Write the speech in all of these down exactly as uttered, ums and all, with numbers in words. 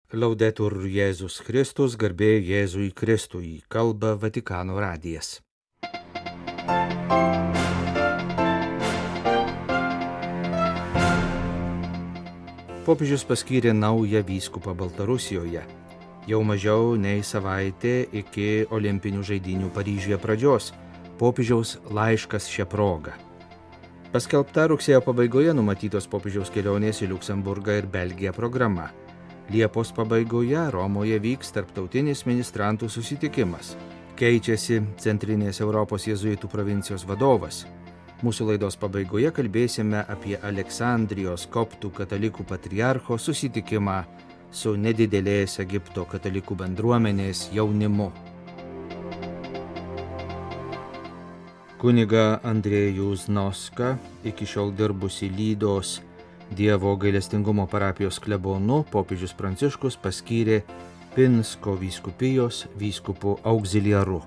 Laudetur Jėzus Kristus, garbė Jėzui Kristui, kalba Vatikano radijas. Popiežius paskyrė naują vyskupą Baltarusijoje. Jau mažiau nei savaitė iki Olimpinių žaidynių Paryžiuje pradžios. Popiežiaus laiškas šią progą. Paskelbta rugsėjo pabaigoje numatytos popiežiaus kelionės į Liuksemburgą ir Belgiją programa. Liepos pabaigoje Romoje vyks tarptautinis ministrantų susitikimas. Keičiasi Centrinės Europos jėzuitų provincijos vadovas. Mūsų laidos pabaigoje kalbėsime apie Aleksandrijos koptų katalikų patriarcho susitikimą su nedidelės Egipto katalikų bendruomenės jaunimu. Kuniga Andrejų Znoską, iki šiol dirbusi Lydos Dievo gailestingumo parapijos klebonu, popiežius Pranciškus paskyrė Pinsko vyskupijos vyskupu auxiliaru.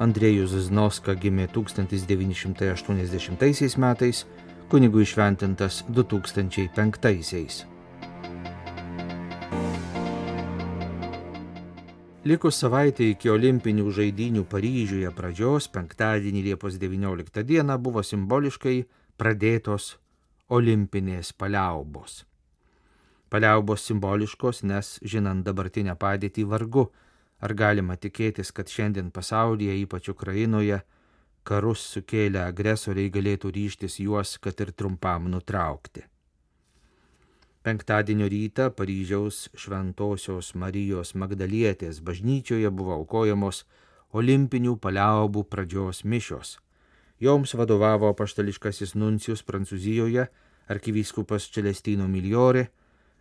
Andrejus Znoska gimė tūkstantis devyni šimtai aštuoniasdešimtaisiais metais, kunigų įšventintas du tūkstančiai penktaisiais. Likus savaitė iki Olimpinių žaidynių Paryžiuje pradžios, penktadienį Liepos devynioliktą dieną buvo simboliškai pradėtos olimpinės paliaubos. Paliaubos simboliškos, nes žinant dabartinę padėtį vargu, ar galima tikėtis, kad šiandien pasaulyje, ypač Ukrainoje, karus sukėlę agresoriai galėtų ryžtis juos, kad ir trumpam nutraukti. Penktadienio rytą Paryžiaus Šventosios Marijos Magdalietės bažnyčioje buvo aukojamos olimpinių paliaubų pradžios mišios. Joms vadovavo apaštališkasis nuncijus Prancūzijoje, arkivyskupas Celestino Migliore,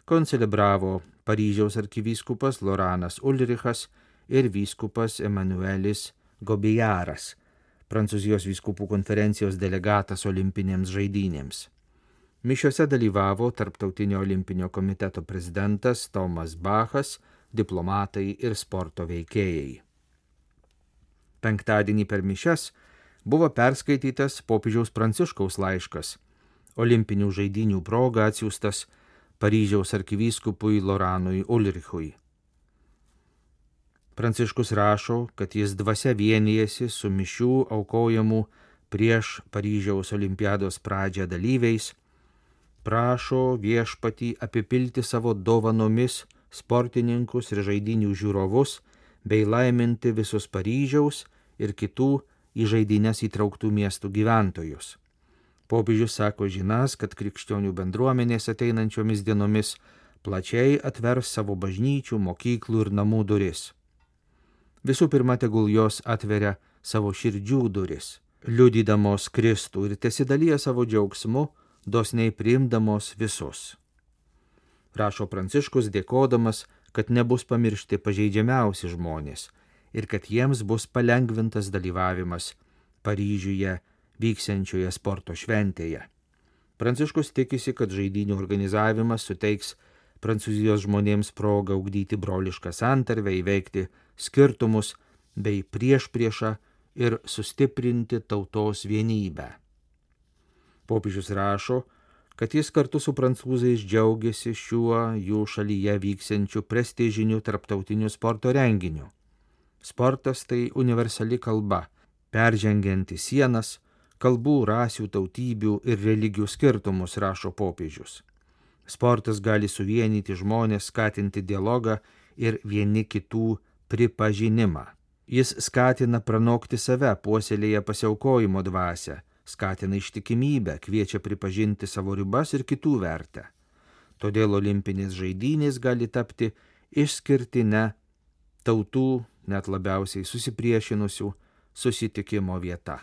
koncelebravo Paryžiaus arkivyskupas Loranas Ulrichas ir vyskupas Emanuelis Gobijaras, Prancūzijos vyskupų konferencijos delegatas olimpinėms žaidynėms. Mišiose dalyvavo Tarptautinio olimpinio komiteto prezidentas Tomas Bachas, diplomatai ir sporto veikėjai. Penktadienį per mišias buvo perskaitytas popiežiaus Pranciškaus laiškas, Olimpinių žaidynių proga atsiųstas Paryžiaus arkivyskupui Loranui Ulrichui. Pranciškus rašo, kad jis dvasia vienijasi su mišių aukojamų prieš Paryžiaus olimpiados pradžią dalyviais, prašo viešpatį apipilti savo dovanomis sportininkus ir žaidynių žiūrovus bei laiminti visus Paryžiaus ir kitų į žaidynes įtrauktų miestų gyventojus. Popiežius sako žinas, kad krikščionių bendruomenės ateinančiomis dienomis plačiai atvers savo bažnyčių, mokyklų ir namų duris. Visų pirma, tegul jos atveria savo širdžių duris, liudydamos Kristų ir tesidalyja savo džiaugsmu, dosniai priimdamos visus. Rašo Pranciškus dėkodamas, kad nebus pamiršti pažeidžiamiausi žmonės ir kad jiems bus palengvintas dalyvavimas Paryžiuje vyksiančioje sporto šventėje. Pranciškus tikisi, kad žaidynių organizavimas suteiks Prancūzijos žmonėms progą ugdyti brolišką santarvę, įveikti skirtumus bei priešpriešą ir sustiprinti tautos vienybę. Popiežius rašo, kad jis kartu su prancūzais džiaugiasi šiuo jų šalyje vyksiančiu prestižiniu tarptautiniu sporto renginiu. Sportas tai universali kalba, peržengianti sienas, kalbų, rasių, tautybių ir religijų skirtumus, rašo popiežius. Sportas gali suvienyti žmonės, skatinti dialogą ir vieni kitų pripažinimą. Jis skatina pranokti save, puoselėja pasiaukojimo dvasią, skatina ištikimybę, kviečia pripažinti savo ribas ir kitų vertę. Todėl olimpinės žaidynės gali tapti išskirtine tautų, net labiausiai susipriešinusių, susitikimo vieta.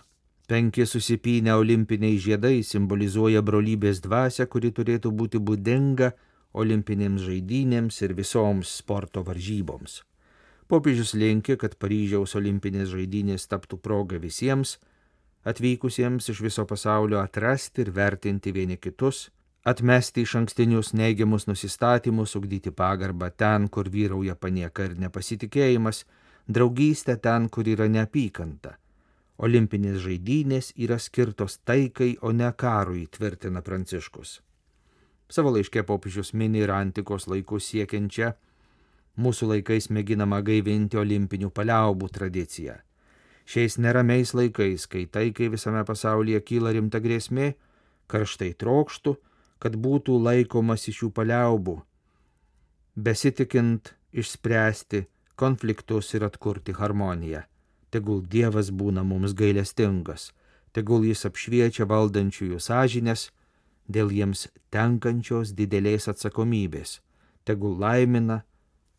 Penki susipynę olimpiniai žiedai simbolizuoja brolybės dvasią, kuri turėtų būti būdinga olimpinėms žaidynėms ir visoms sporto varžyboms. Popiežius linki, kad Paryžiaus olimpinės žaidynės taptų proga visiems atvykusiems iš viso pasaulio atrasti ir vertinti vieni kitus, atmesti iš ankstinius neigiamus nusistatymus, ugdyti pagarbą ten, kur vyrauja panieka ir nepasitikėjimas, draugystę ten, kur yra neapykanta. Olimpinės žaidynės yra skirtos taikai, o ne karui, tvirtina Pranciškus. Savo laiške popiežius mini ir antikos laikus siekiančią Mūsų laikais mėginama gaivinti olimpinių paliaubų tradiciją. Šiais neramiais laikais, kai taikai visame pasaulyje kyla rimta grėsmė, karštai trokštų, kad būtų laikomas iš šių paliaubų, besitikint išspręsti konfliktus ir atkurti harmoniją. Tegul Dievas būna mums gailestingas, tegul jis apšviečia valdančiųjų sąžinės dėl jiems tenkančios didelės atsakomybės, tegul laimina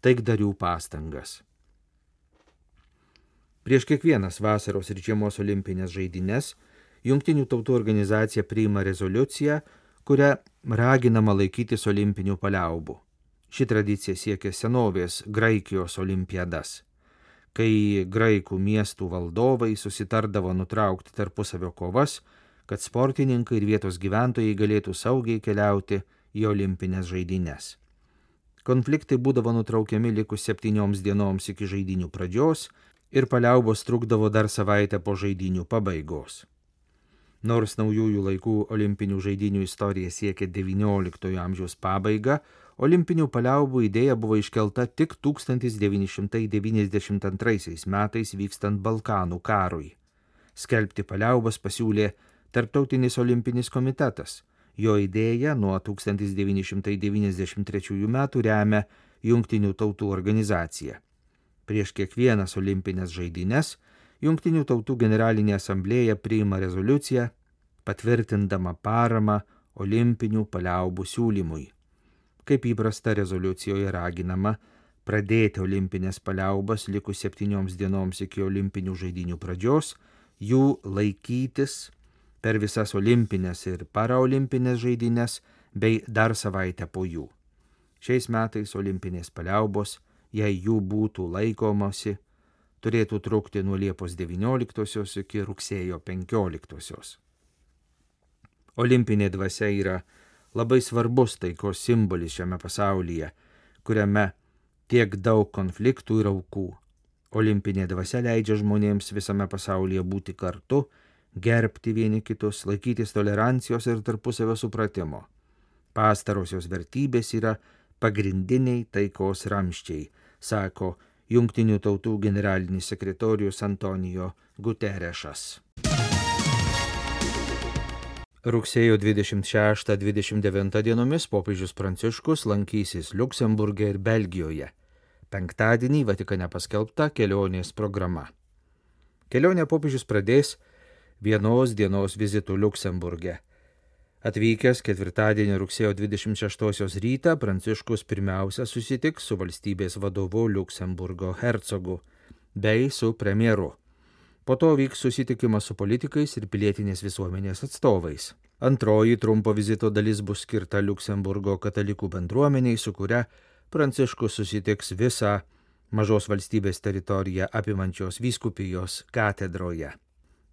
taikdarių pastangas. Prieš kiekvienas vasaros ir žiemos olimpinės žaidynes Jungtinių tautų organizacija priima rezoliuciją, kuria raginama laikytis olimpinių paliaubų. Ši tradicija siekia senovės Graikijos olimpiadas, kai graikų miestų valdovai susitardavo nutraukti tarpusavio kovas, kad sportininkai ir vietos gyventojai galėtų saugiai keliauti į olimpinės žaidynes. Konfliktai būdavo nutraukiami likus septynioms dienoms iki žaidynių pradžios ir paliaubos trukdavo dar savaitę po žaidynių pabaigos. Nors naujųjų laikų olimpinių žaidynių istorija siekia devynioliktojo amžiaus pabaigą, olimpinių paliaubų idėja buvo iškelta tik tūkstantis devyni šimtai devyniasdešimt antraisiais metais vykstant Balkanų karui. Skelbti paliaubas pasiūlė Tarptautinis olimpinis komitetas. Jo idėją nuo tūkstantis devyni šimtai devyniasdešimt trečiųjų metų remia Jungtinių tautų organizacija. Prieš kiekvienas olimpinės žaidynes Jungtinių tautų generalinė asamblėja priima rezoliuciją, patvirtindama paramą olimpinių paliaubų siūlymui. Kaip įprasta, rezoliucijoje raginama pradėti olimpinės paliaubas likus septynioms dienoms iki olimpinių žaidynių pradžios, jų laikytis per visas olimpinės ir paraolimpinės žaidynes bei dar savaitę po jų. Šiais metais olimpinės paliaubos, jei jų būtų laikomasi, turėtų trukti nuo Liepos devynioliktosios iki rugsėjo penkioliktosios. Olimpinė dvasia yra labai svarbus taikos simbolis šiame pasaulyje, kuriame tiek daug konfliktų ir aukų. Olimpinė dvasia leidžia žmonėms visame pasaulyje būti kartu, gerbti vieni kitus, laikytis tolerancijos ir tarpusavio supratimo. Pastarosios vertybės yra pagrindiniai taikos ramsčiai, sako Jungtinių tautų generalinis sekretorius Antonijo Guterešas. Rugsėjo dvidešimt šeštą dvidešimt devintą dienomis popiežius Pranciškus lankysis Liuksemburge ir Belgijoje. Penktadienį Vatikane paskelbta kelionės programa. Kelionę popiežius pradės vienos dienos vizitu Liuksemburge. Atvykęs ketvirtadienį rugsėjo dvidešimt šeštosios rytą, Pranciškus pirmiausia susitiks su valstybės vadovu Liuksemburgo hercogu bei su premjeru. Po to vyks susitikimas su politikais ir pilietinės visuomenės atstovais. Antroji trumpo vizito dalis bus skirta Liuksemburgo katalikų bendruomeniai, su kuria Pranciškus susitiks visą mažos valstybės teritoriją apimančios vyskupijos katedroje.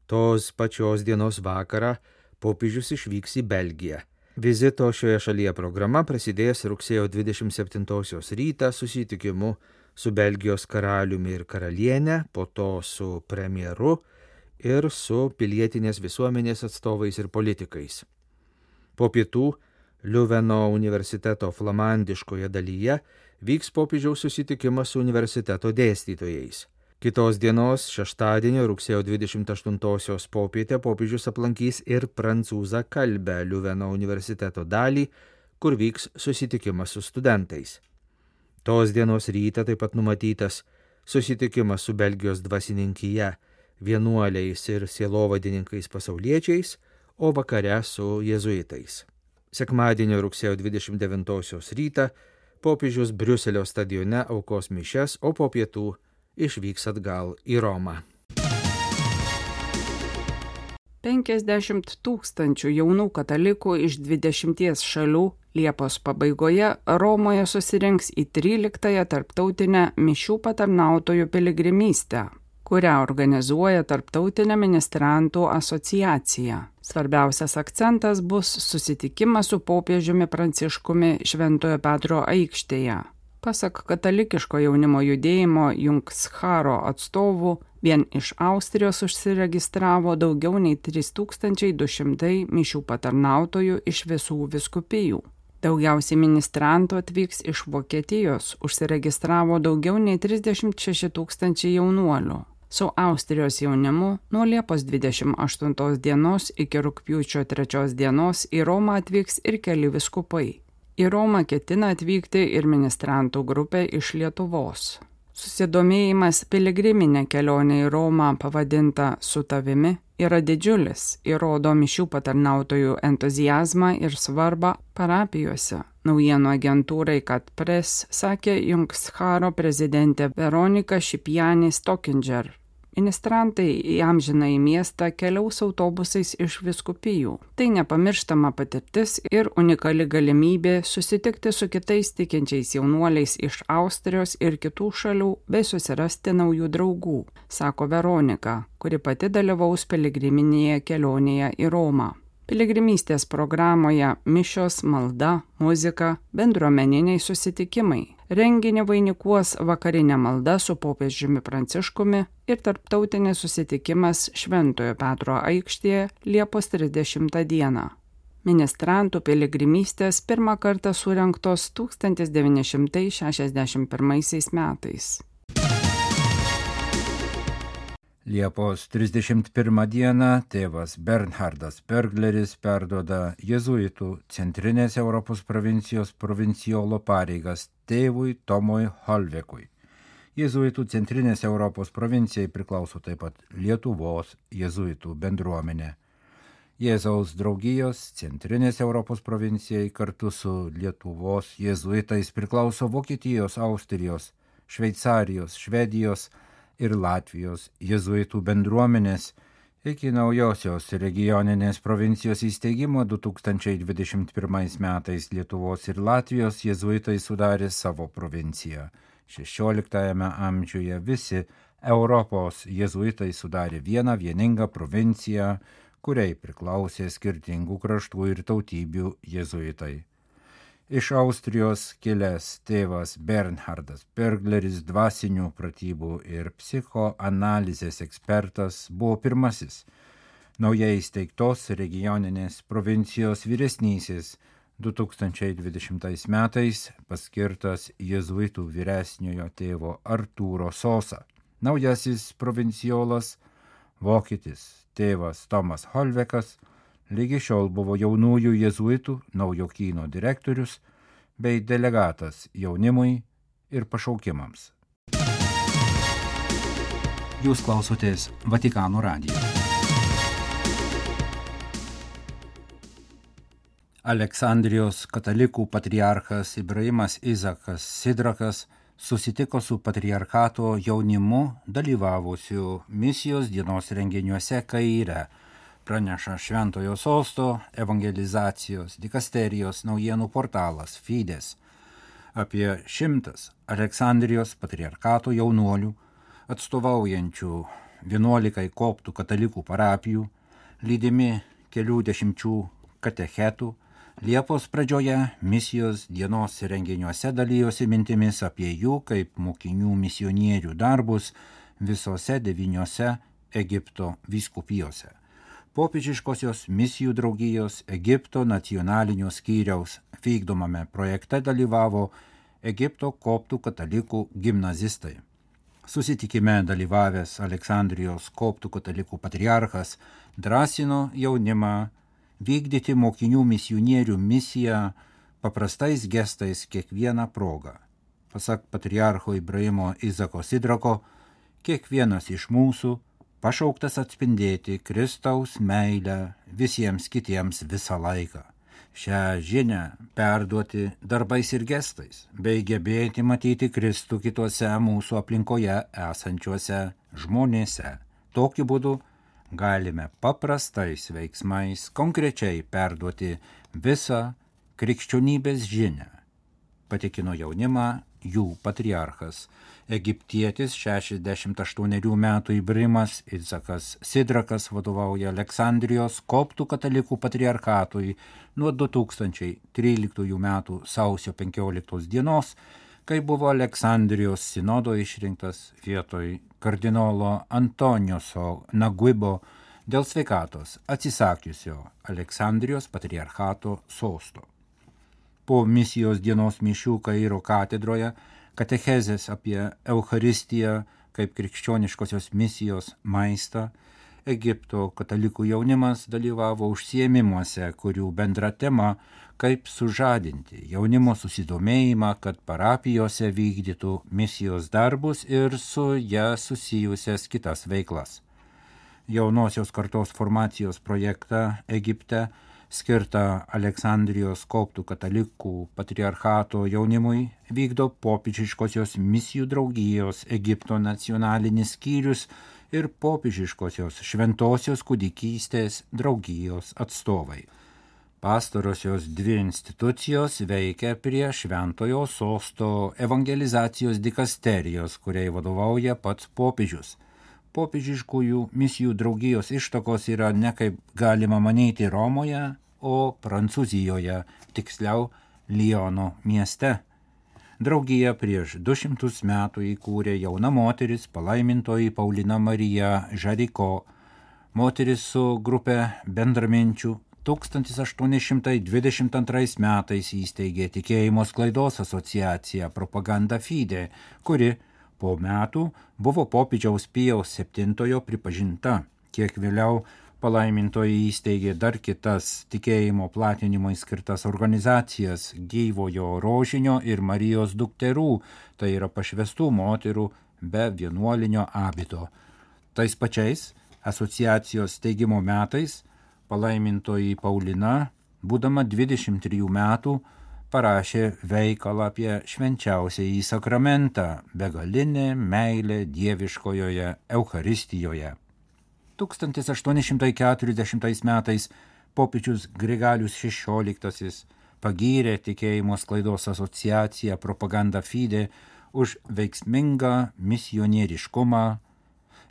Tos pačios dienos vakarą popiežius išvyks į Belgiją. Vizito šioje šalyje programa prasidės rugsėjo dvidešimt septintosios rytą susitikimu su Belgijos karaliumi ir karaliene, po to su premjeru ir su pilietinės visuomenės atstovais ir politikais. Po pietų Liuveno universiteto flamandiškoje dalyje vyks popiežiaus susitikimas su universiteto dėstytojais. Kitos dienos, šeštadienio rugsėjo dvidešimt aštuntosios popietę popiežius aplankys ir prancūzą kalbę Liuveno universiteto dalį, kur vyks susitikimas su studentais. Tos dienos rytą taip pat numatytas susitikimas su Belgijos dvasininkija, vienuoliais ir sielovadininkais pasauliečiais, o vakare su jėzuitais. Sekmadienio rugsėjo dvidešimt devintosios rytą popiežius Briuselio stadione aukos mišias, o po pietų išvyks atgal į Romą. penkiasdešimt tūkstančių jaunų katalikų iš dvidešimties šalių Liepos pabaigoje Romoje susirinks į tryliktąją tarptautinę mišių patarnautojų piligrimystę, kurią organizuoja Tarptautinė ministrantų asociacija. Svarbiausias akcentas bus susitikimas su popiežiumi Pranciškumi Šventojo Petro aikštėje. Pasak katalikiško jaunimo judėjimo Jungscharo atstovų, vien iš Austrijos užsiregistravo daugiau nei trys tūkstančiai du šimtai mišių patarnautojų iš visų vyskupijų. Daugiausiai ministrantų atvyks iš Vokietijos, užsiregistravo daugiau nei trisdešimt šeši tūkstančiai jaunuolių. Su Austrijos jaunimu nuo Liepos dvidešimt aštuntos dienos iki rugpjūčio trečios dienos į Romą atvyks ir keli vyskupai. Į Romą ketina atvykti ir ministrantų grupė iš Lietuvos. Susidomėjimas piligriminė kelionė į Romą pavadinta Su tavimi yra didžiulis, įrodo mišių patarnautojų entuziazmą ir svarbą parapijose. Naujienų agentūrai Kat Press sakė Jungscharo prezidentė Veronika Šipianis-Tokinger. Ministrantai į amžinąjį miestą keliaus autobusais iš vyskupijų. Tai nepamirštama patirtis ir unikali galimybė susitikti su kitais tikinčiais jaunuoliais iš Austrijos ir kitų šalių bei susirasti naujų draugų, sako Veronika, kuri pati dalyvaus piligriminėje kelionėje į Romą. Piligrimystės programoje mišios, malda, muzika, bendruomeniniai susitikimai. Renginį vainikuos vakarinė malda su popiežiumi Pranciškumi ir tarptautinis susitikimas Šventojo Petro aikštėje Liepos trisdešimtą dieną. Ministrantų piligrimystės pirmą kartą surengtos tūkstantis devyni šimtai šešiasdešimt pirmaisiais metais. Liepos trisdešimt pirmą dieną tėvas Bernhardas Bergleris perduoda jėzuitų Centrinės Europos provincijos provincijolo pareigas tėvui Tomui Holvekui. Jėzuitų Centrinės Europos provincijai priklauso taip pat Lietuvos jėzuitų bendruomenė. Jėzaus draugijos Centrinės Europos provincijai kartu su Lietuvos jėzuitais priklauso Vokietijos, Austrijos, Šveicarijos, Švedijos ir Latvijos jėzuitų bendruomenės iki naujosios regioninės provincijos įsteigimo du tūkstančiai dvidešimt pirmais metais Lietuvos ir Latvijos jėzuitai sudarė savo provinciją. šešioliktajame amžiuje visi Europos jėzuitai sudarė vieną vieningą provinciją, kuriai priklausė skirtingų kraštų ir tautybių jėzuitai. Iš Austrijos kilęs tėvas Bernhardas Bergleris, dvasinių pratybų ir psichoanalizės ekspertas, buvo pirmasis naujai įsteigtos regioninės provincijos vyresnysis du tūkstančiai dvidešimtais metais paskirtas jėzuitų vyresniojo tėvo Artūro Sosa. Naujasis provinciolas, vokietis tėvas Tomas Holvekas, lygi šiol buvo jaunųjų jėzuitų Naujokyno direktorius bei delegatas jaunimui ir pašaukimams. Jūs klausotės Vatikano radijo. Aleksandrijos katalikų patriarchas Ibrahimas Izakas Sidrakas susitiko su patriarchato jaunimu dalyvavusiu misijos dienos renginiuose Kaire, praneša Šventojo Sosto evangelizacijos dikasterijos naujienų portalas Fides. Apie šimtas Aleksandrijos patriarchato jaunuolių, atstovaujančių vienuolikai koptų katalikų parapijų, lydimi kelių dešimčių katechetų, Liepos pradžioje misijos dienos renginiuose dalijosi mintimis apie jų kaip mokinių misionierių darbus visose devyniose Egipto vyskupijose. Popiežiškosios misijų draugijos Egipto nacionalinio skyriaus vykdomame projekte dalyvavo Egipto koptų katalikų gimnazistai. Susitikime dalyvavęs Aleksandrijos koptų katalikų patriarchas drąsino jaunimą vykdyti mokinių misionierių misiją paprastais gestais kiekvieną progą. Pasak patriarcho Ibrahimo Izako Sidrako, kiekvienas iš mūsų pašauktas atspindėti Kristaus meilę visiems kitiems visą laiką. Šią žinią perduoti darbais ir gestais, bei gebėti matyti Kristų kituose mūsų aplinkoje esančiuose žmonėse. Tokiu būdu galime paprastais veiksmais konkrečiai perduoti visą krikščionybės žinią, patikino jaunimą jų patriarchas, egiptietis šešiasdešimt aštuonerių metų Ibrahimas Izakas Sidrakas vadovauja Aleksandrijos koptų katalikų patriarchatui nuo du tūkstančiai tryliktųjų metų sausio penkioliktos dienos, kai buvo Aleksandrijos sinodo išrinktas vietoj kardinolo Antonijoso Naguibo dėl sveikatos atsisakiusio Aleksandrijos patriarchato sosto. Po misijos dienos mišių Kairo katedroje katechezės apie Eucharistiją kaip krikščioniškosios misijos maistą, Egipto katalikų jaunimas dalyvavo užsiėmimuose, kurių bendra tema kaip sužadinti jaunimo susidomėjimą, kad parapijose vykdytų misijos darbus ir su ją susijusias kitas veiklas. Jaunosios kartos formacijos projektą Egipte skirtą Aleksandrijos koptų katalikų patriarchato jaunimui vykdo popiežiškosios misijų draugijos Egipto nacionalinis skyrius ir popiežiškosios šventosios kūdikystės draugijos atstovai. Pastarosios dvi institucijos veikia prie Šventojo sosto evangelizacijos dikasterijos, kuriai vadovauja pats popiežius. Popiežiškųjų misijų draugijos ištakos yra ne kaip galima manyti Romoje, o Prancūzijoje, tiksliau Liono mieste. Draugiją prieš du šimtus metų įkūrė jauna moteris, palaimintoji Paulina Marija Žariko. Moteris su grupė bendraminčių tūkstantis aštuoni šimtai dvidešimt antrais metais įsteigė Tikėjimo sklaidos asociaciją Propaganda Fide, kuri po metų buvo popiežiaus Pijaus septintojo pripažinta. Kiek vėliau palaimintoji įsteigė dar kitas tikėjimo platinimui skirtas organizacijas Gyvojo rožinio ir Marijos dukterų, tai yra pašvestų moterų be vienuolinio abito. Tais pačiais asociacijos steigimo metais palaimintoji Paulina, būdama dvidešimt trijų metų, parašė veikalą apie švenčiausiąjį sakramentą – begalinė meilė dieviškojoje Eucharistijoje. tūkstantis aštuoni šimtai keturiasdešimtais metais popiežius Grigalius šešioliktasis pagyrė Tikėjimo sklaidos asociaciją Propaganda Fide už veiksmingą misionieriškumą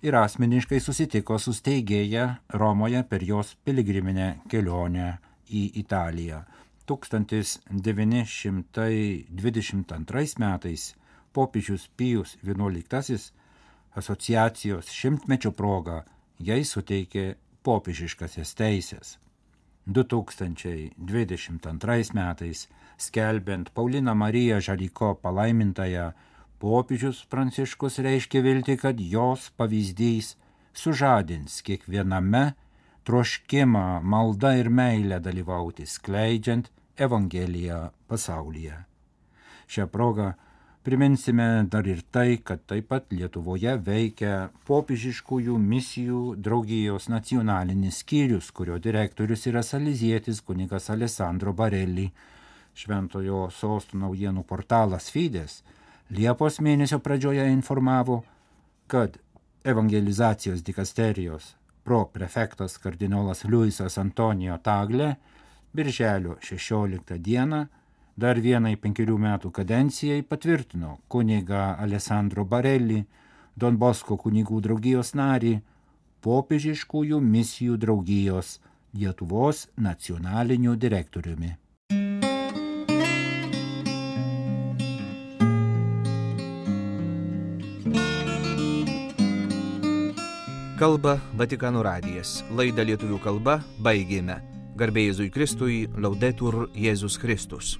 ir asmeniškai susitiko su steigėja Romoje per jos piligriminę kelionę į Italiją. tūkstantis devyni šimtai dvidešimt antrais metais popiežius Pijus vienuoliktasis asociacijos šimtmečio proga jai suteikė popiežiškasias teisės. du tūkstančiai dvidešimt antrais metais, skelbiant Pauliną Mariją Žariko palaimintąją, popiežius Pranciškus reiškė viltį, kad jos pavyzdys sužadins kiekviename troškimą, maldą ir meilę dalyvauti, skleidžiant Evangeliją pasaulyje. Šią progą priminsime dar ir tai, kad taip pat Lietuvoje veikia popiežiškųjų misijų draugijos nacionalinis skyrius, kurio direktorius yra salezietis kunigas Alessandro Barelli. Šventojo sosto naujienų portalas Fides Liepos mėnesio pradžioje informavo, kad evangelizacijos dikasterijos proprefektas kardinolas Luisas Antonijo Tagle birželio šešioliktą dieną dar vienai penkerių metų kadencijai patvirtino kunigą Alessandro Barelli, Don Bosko kunigų draugijos narį, popiežiškųjų misijų draugijos Lietuvos nacionaliniu direktoriumi. Kalba Vatikano radijas. Laidą lietuvių kalba baigėme. Garbė Jėzui Kristui, Laudetur Jėzus Kristus.